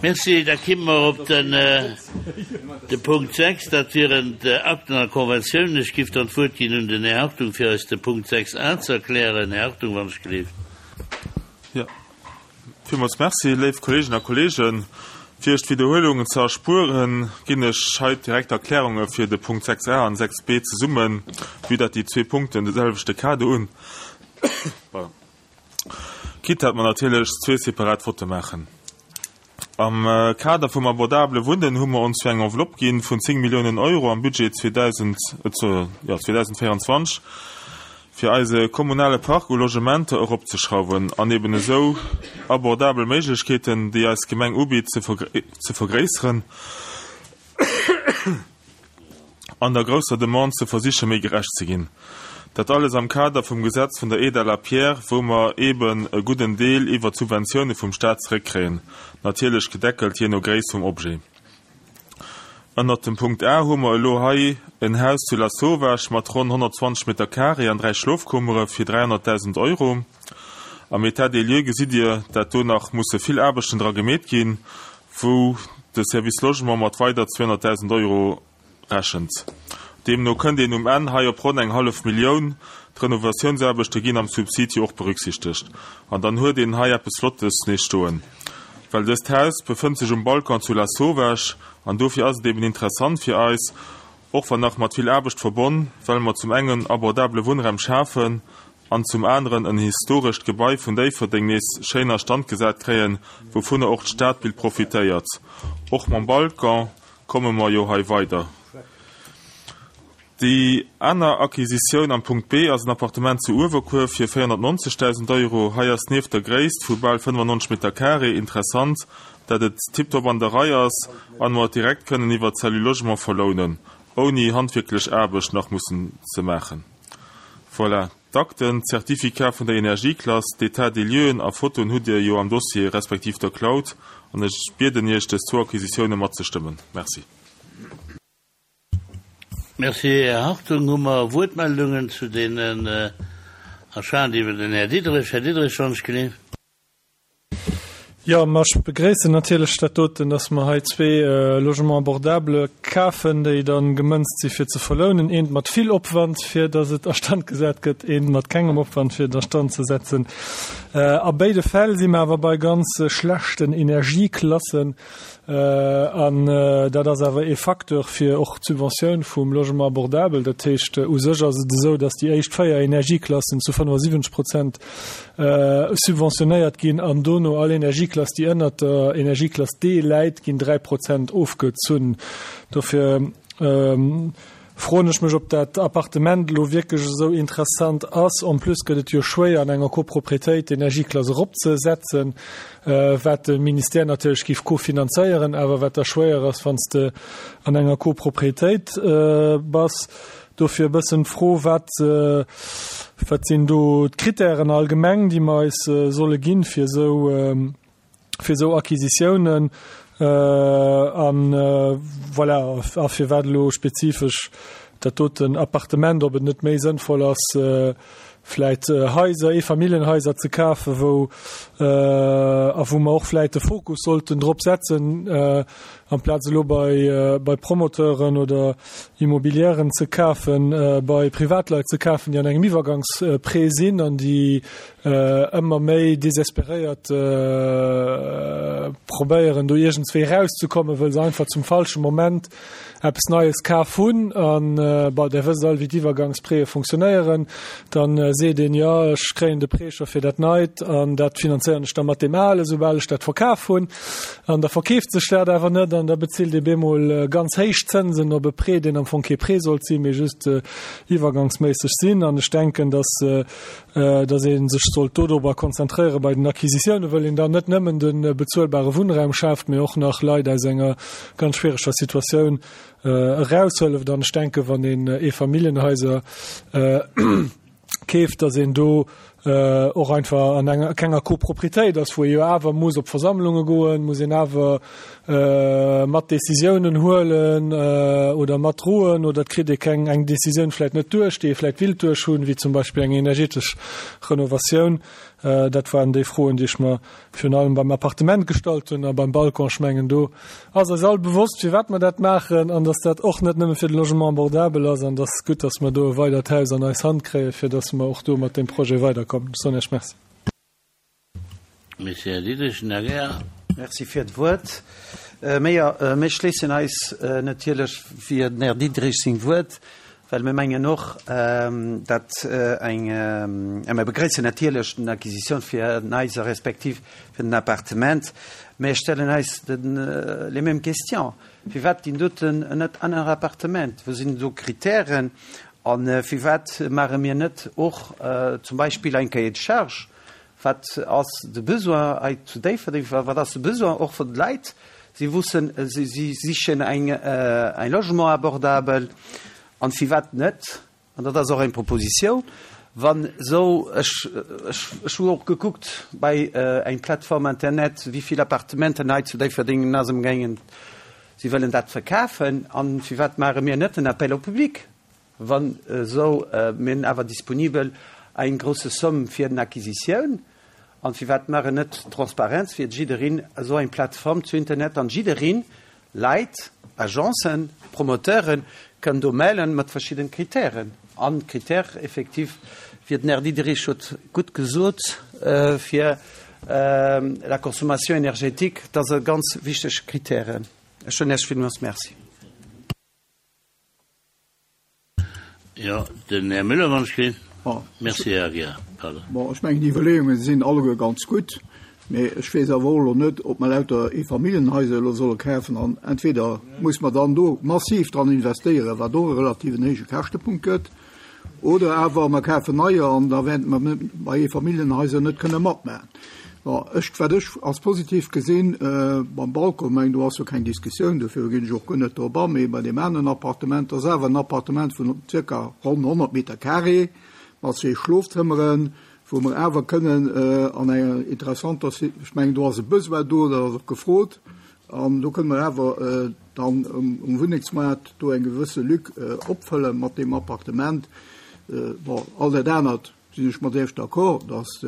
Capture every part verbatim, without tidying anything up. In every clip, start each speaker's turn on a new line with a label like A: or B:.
A: Merci. Da kimme mer op den, de Punkt sechs. Dat wieren d'Akten a Konventiounen. Ech giff dann d'Wuert ginn un den Här Hartung, fir eis de Punkt sechs a ze erklären. Här Hartung, wann ech gelift.
B: Jo, villmools Merci. Léif Kolleeginnen a Kolleegen, fir Iech d'Widderhuelungen ze erspueren, ginn ech hei direkt d'Erklärunge fir de Punkt sechs a an sechs b zesummen, vue dat déi zwee Punkten de selwechte Kader hunn. Pardon. Quitte dat mer natierlech zwee separat Votte maachen. Am Kader vum abordabele Wunnen hu mer ons jo eng Enveloppe gi vun zéng Milliounen Euro am Budget zweedausendvéierenzwanzeg, fir eise kommunale Park u Logementer eropzeschrauwen an eben esou abordabel Méiglechkeeten, déi eis Gemeng ubitt, ze vergréisseren an der grousser Demande ze versiche méi gerecht ze ginn. Dat alles am Kader vum Gesetz vun der Aide à la pierre, wou mer eben e gudden Deel iwwer d'Subventioune vum Staat zeréckkréien, natierlech gedeckelt jee no Gréisst vum Objet. Ënnert dem Punkt A hu mer elo hei en Haus zu Lasauvage mat ronn honnertzwanzeg Meter carré an dräi Schlofkummere fir dräihonnertdausend Euro. Am État des lieux gesitt Dir, dat do nach musse vill Aarbechten dra gemeet ginn, wou de Service Logement mat weider zweehonnertdausend Euro rechent. Deemno kënnt een um Enn hei op ronn eng hallef Millioun. D'Renovatiounsaarbechte ginn am Subsid jo och berücksichtegt. An dann huet een hei eppes Flottes nees stoen. Well dëst Haus befënnt sech um Balcon zu Lasauvage an dofir ass et eben interessant fir eis, och wann nach mat vill Aarbecht verbonn, well mer zum engen abordabele Wunnraum schafen an zum aneren en historescht Gebai vun Déifferdeng nees schéin a Stand gesat kréien, wouvunner och d'Stadbild profitéiert. Och mam Balcon komme mer jo hei weider. Déi aner Acquisitioun am Punkt B ass en Appartement zu Uewerkuer fir véierhonnertnonzegdausend Euro. Hei ass nieft der Gréisst vu bal fënnefannonzeg Meter carré interessant, dat et tiptop an der Rei ass an mer et direkt kënnen iwwer d'Cellule Logement verlounen, ouni handwierklech Aarbecht nach mussen ze maachen. Voilà, d'Akten, d'Certificat vun der Energieklass, d'État des lieuxen a Fotoen hutt Dir jo am Dossier respektiv der Cloud an ech bieden Iech, dës zwou Acquisitioune matzestëmmen. Merci.
A: Merci, Här Hartung. Hu mer Wuertmeldungen zu deenen Achaten iwwer den Här Diderich? Här Diderich, wann ech gelift.
C: Jo, ma ech begréissen natierlech dat doten, dass mer hei zwee Logements abordables kafen, déi da gemënzt si fir ze verlounen, eent mat vill Opwand, fir dass et a Stand gesat gëtt, eent mat kengem Opwand, fir et a Stand ze setzen. A béide Fäll si mer awer bei ganz schlechten Energieklassen. An dat ass awer ee Facteur fir och d'Subventioun vum Logement abordable. Dat heescht, u sech ass et esou, dass déi éischt véier Energieklassen zu fënnefasiwwenzeg Prozent subventionéiert ginn an dono all Energieklass, déi ënnert der Energieklass D läit, ginn dräi Prozent ofgezunn. Dofir froen ech mech, ob dat Appartement elo wierklech esou interessant ass. En plus gëtt et jo schwéier, an enger Copropriétéit d'Energieklass eropzesetzen, wat de Ministère natierlech géif cofinanzéieren, awer wat da schwéier ass, wann s de an enger Copropriétéit bass. Dofir e bëssen d'Fro, wat, wat sinn do d'Kritären allgemeng, déi mer eis solle ginn, fir esou, fir esou Acquisitiounen? An voilà, a firwat elo spezifesch dat doten Appartement, ob et net méi sënnvoll ass, vläit Haiser, Eefamilljenhaiser ze kafen, wou, a wou mer och vläit de Fokus sollten drop setzen, amplaz elo bei, bei Promoteuren oder Immobilièren ze kafen, bei Privatleit ze kafen, déi an engem Iwwergangsprêt sinn an déi ëmmer méi desesperéiert probéieren, do iergendswéi erauszekommen, wëll se einfach zum falsche Moment eppes Neies kaf hunn. An, bon, Der wësst all, wéi d'Iwwergangsprêtë funktionéieren. Dann seet een, jo, ech kréien de Prêt scho fir dat Neit an dat finanzéieren ech da mat deem Alen, soubal ech dat verkaf hunn. An da verkeeft sech dat awer net an da bezilt ee bemol ganz héich Zënsen op e Prêt, deen am Fong kee Prêt sollt sinn, mee just iwwergangsméisseg sinn. An ech denken, dass, dass ee sech sollt dodrober konzentréiere bei den Acquisitiounen, wëll een dann net nëmmen de bezuelbare Wunnraum schaaft, mee och nach Leit aus enger ganz schwiereger Situatioun eraushëlleft. An ech denken, wann een Eefamilljenhaiser keeft, dass een do och einfach an enger kenger Copropriétéit ass, wou ee jo awer muss op Versammlunge goen, muss een awer mat Décisiounen huelen oder matdroen oder et kritt ee keng eng Décisioun vläicht net duerch, déi ee vläicht willt duerch hunn, wéi zum Beispill eng energetesch Renovatioun. Dat waren déi Froen, déi ech mer virun allem beim Appartement gestallt hunn a beim Balcon. Ech mengen, do ass eis all bewosst, firwat mer dat maachen an dass dat och net nëmme fir de Logement abordable ass an dass gutt, dass mer do e weidert Haus an eis Hand kréien, fir dass mer och do mat deem Projet weiderkommen. Ech soen Iech Merci.
A: Merci, Här Diderich. Den Här Geer.
D: Merci fir d'Wuert. Mir, mir schléissen eis natierlech fir den Här Diderich seng Wuert, well mir mengen och, datt eng, a mir begréissen natierlech den Acquisition fir den Haiser respektiv fir den Appartement, mä stellen eis den, les mêmes questions. Firwat ginn doten net aner Appartement? Wou sinn do Kritären? A firwat maache mir net och zum Beispill eng Cahier de charges? Wat ass de Besoin hei zu Déifferdeng? Wat ass de Besoin och vun de Leit? Si wussen, si sichen eng, ein Logement abordable. An firwat net, an dat ass och eng Proposition, wann esou, ech, ech, ech hu och gekuckt bei eng Plattform Internet, wéi vill Appartementen hei zu Déifferdeng ass ëmgaangen, si wëllen dat verkafen, an firwat maache mir net en Appel au public, wann esou, mir hunn awer disponibel eng grosse Somme fir den Acquisitioun, an firwat maachen net Transparenz fir jiddereen esou eng Plattform zu Internet an jiddereen, Leit, Agencen, Promoteuren kënnen do mellen mat verschiddenen Kritären. An Critère effektiv, wéi den Här Diderich huet gutt gesot, fir la consommation énergétique, dat ass e ganz wichteg Critère. Ech soen Iech villmools Merci.
A: Jo, den Här Müller, wann ech kritt. Merci, Här Aguiar. Pardon.
E: Bon, ech mengen, déi Iwwerleeunge sinn alleguer ganz gutt, mee ech weess awer och elo net, ob mer lauter Eefamilljenhaiser elo solle kafen. An entweder muss mer dann do massiv dran investéieren, wat och e relativen héije Käschtepunkt gëtt, oder awer mer kafen neier an da wäerte mer bei Eefamilljenhaiser net kënne matmaachen. Bon, ech, wat ech als positiv gesinn beim Balcon, mengen, do ass jo keng Diskussioun, dofir ginn ech och guer net drop an, mee bei deem aneren Appartement, dat ass awer en Appartement vun zirka ronn honnert Meter carré mat zwee Schlofzëmmeren, wou mer awer kënnen an enger interessanter, ech mengen, do ass e Besoin do, dat ass och gefrot, an do kënnen mer awer dann um Wunnengsmaart do eng gewësse Lück opfëlle mat deem Appartement. Bon, all dat anert sinn ech mat Iech d'accord, dass,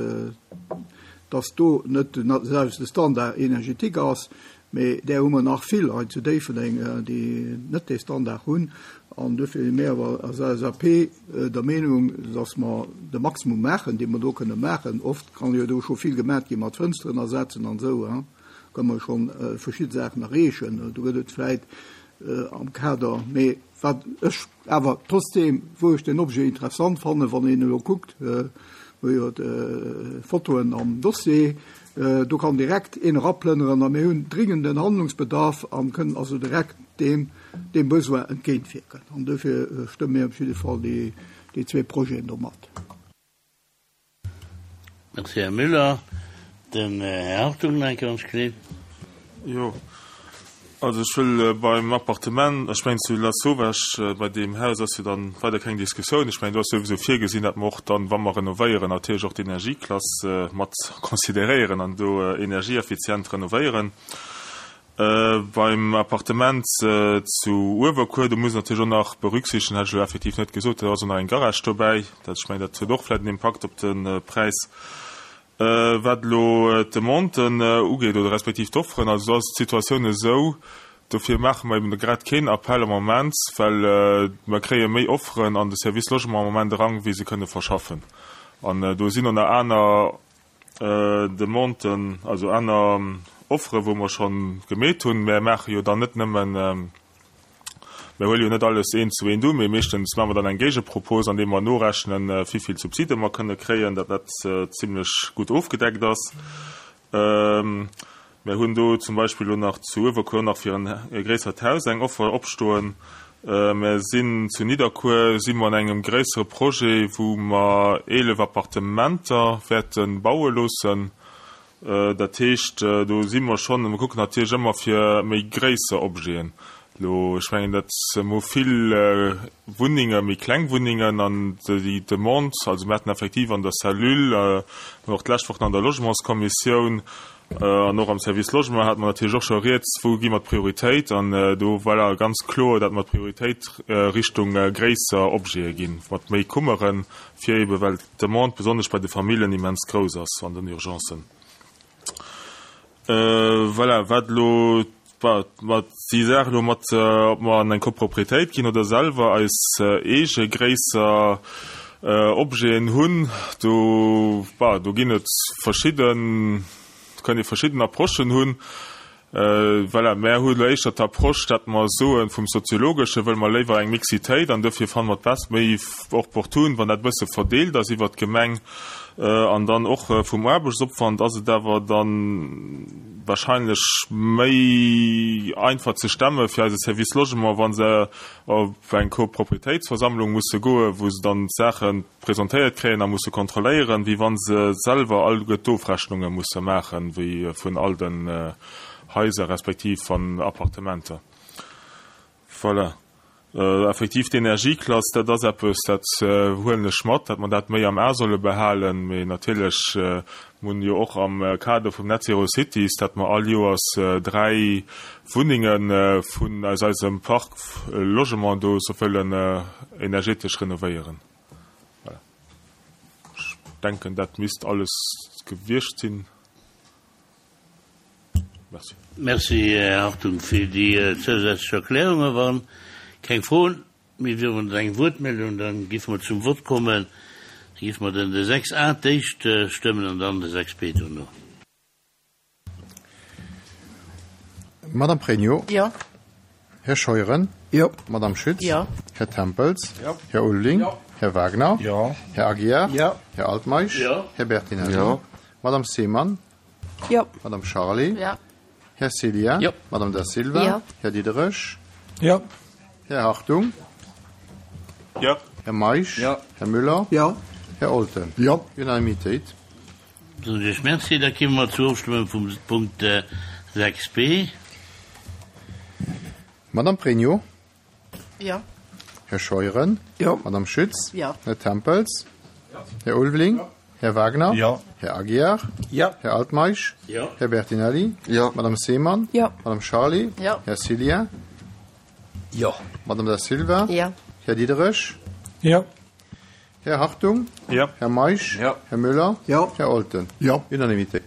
E: dass do net de selwechte Standard énergétique ass, mee där hu mer nach vill hei zu Déifferdeng, déi net dee Standard hunn. An duerfir si mir awer als L S A P der Meenung, dass mer de Maximum maachen, dee mer do kënne maachen. Oft kann jo do scho vill gemat gi mat Fënsteren ersetzen an esou, hein, kënne mer schonn verschidde Saachen erreechen. Do gëtt et vläit am Kader, mee wat ech awer trotzdem, wou ech den Objet interessant fannen, wann een elo kuckt, mir hu jo d'Fotoen am Dossier, do kann direkt een eraplënneren a mir hunn dringenden Handlungsbedarf an kënnen also direkt deem deem Besoin entgéintwierken. An dofir stëmme mir op jidde Fall déi déi zwee Projeten do mat.
A: Merci, Här Müller. Den Här Hartung nach eng Kéier, wann ech gleef.
B: Jo, also ech wëll beim Appartement, ech mengen zu Lasauvage, bei deem Haus ass jo dann weider keng Diskussioun. Ech mengen, do ass souwisou virgesinn, datt mer och dann, wa mer renovéieren, natierlech och d'Energieklass mat consideréieren an do energieeffizient renovéieren. Beim Appartement zu Uewerkuer, do muss een natierlech och nach berücksichtegen, hat ech elo effektiv net gesot, do ass och nach eng Garage dobäi. Dat, ech mengen, dat huet och vläicht en Impakt op de Präis. Wat elo d'Demanden ugeet oder respektiv d'Offeren, also do ass d'Situatioun esou, dofir maache mer eben grad keen Appell am Moment, well mer kréie méi Offeren an de Service Logement am Moment eran, wéi se kënne verschaffen. An do sinn och nach aner Demanden, also aner Offere wou mer scho gemeet hunn. Mer maache jo dann net nëmmen, mer huele jo net alles eent zu eent u, mee meeschtens maache mer dann eng Géigepropos, andeem mer norechnen, wéi vill Subside mer kënne kréien, datt dat zimlech gutt ofgedeckt ass. Mer hunn do zum Beispill elo nach zu Uewerkuer nach fir e gréissert Haus eng Offer opstoen. Mer sinn zu Nidderkuer si mer an engem gréissere Projet, wou mer eelef Appartementer wäerte baue loossen. Dat heescht, do si mer schonn, mer kucken natierlech ëmmer fir méi gréisser Objeten. Elo, ech mengen, dat mer hu vill Wunnenge, méi kleng Wunnengen an déi Demande, also mir haten effektiv an der Cellule, och d'lescht Woch an der Logementskommissioun, An och am Service Logement hate mer natierlech och scho rieds, wou gi mer d'Prioritéit. An do war ganz kloer, datt mer d'Prioritéit Richtung gréisser Objete ginn, mat méi Kummeren, fir eebe well d'Demande besonnesch bei de Familljen immens grouss ass an den Urgencen. Voilà, wat elo mat déi Saach elo mat, ob mer an eng Copropriétéit ginn oder selwer eis eege gréisser Objeten hunn, do, bah, do ginn et verschidden, do kann ee verschidden Approchen hunn. Voilà, mär hu elo éischter d'Approche, datt mer soen, vum Soziologesche wëlle mer léiwer eng Mixitéit an dofir fanne mer et méi opportun, wann dat e bësse verdeelt ass iwwert d'Gemeng. An dann och vum Aarbechtsopwand ass et awer da wahrscheinlech méi einfach ze stemme fir eise Service Logement, wa se op eng Copropriétéitsversammlung musse goen, wou se dann d'Saache presentéiert kréien a musse kontrolléieren, wéi wa se selwer alleguer d'Ofrechnunge musse maachen, wéi vun all den Haiser respektiv van Appartementer. Voilà. Effektiv d'Energieklass, dat ass eppes, dat huelen ech mat, datt mer dat méi am A solle behalen. Mee natierlech, mir hunn jo och am Kader vum Net Zero Cities, datt mer all Joers dräi Wunnenge vun aus eisem Parc Logement do sou wëllen energetesch renovéieren. Voilà. Ech denken, dat misst alles gewiescht sinn. Merci.
A: Merci, Här Hartung, fir déi zousätzlech Erklärungen. Wa keng Froen méi wieren oder eng Wuertmeldung, da géife mer zum Vott kommen. Da géife mer den de sechs a d'éischt stëmmen an dann de sechs b dono.
F: Madame Pregno.
G: Jo.
F: Här Scheuren.
E: Jo.
F: Madame Schütz.
G: Jo.
F: Här Tempels.
E: Jo.
F: Här Ulveling.
E: Jo.
F: Här Wagner.
E: Jo.
F: Här Aguiar.
E: Jo.
F: Här Altmeisch.
A: Jo.
F: Här Bertinelli.
E: Jo.
F: Madame Seemann.
G: Jo.
F: Madame Charlé.
G: Jo.
F: Här Celia.
D: Jo.
F: Madame Da Silva.
G: Jo.
F: Här Diderich.
C: Jo.
F: Här Hartung.
B: Jo.
F: Här Meisch.
E: Jo.
F: Här Müller.
E: Jo.
F: Här Olten.
E: Jo.
F: Unanimitéit.
A: Soen ech Merci. Da komme mer zur Ofstëmmung vum Punkt sechs b.
F: Madame Pregno.
G: Jo.
F: Här Scheuren.
E: Jo.
F: Madame Schütz.
G: Jo.
F: Här Tempels. Här Ulveling.
E: Jo.
F: Här Wagner.
E: Jo.
F: Här Aguiar.
E: Jo.
F: Här Altmeisch.
A: Jo.
F: Här Bertinelli.
E: Jo.
F: Madame Seemann.
G: Jo.
F: Madame Charlé.
G: Jo.
F: Här Cillien.
E: Jo.
F: Madame Da Silva.
G: Jo.
F: Här Diderich.
C: Jo.
F: Här Hartung.
B: Jo.
F: Här Meisch.
E: Jo.
F: Här Müller.
E: Jo.
F: Här Olten.
E: Jo.
F: Unanimitéit.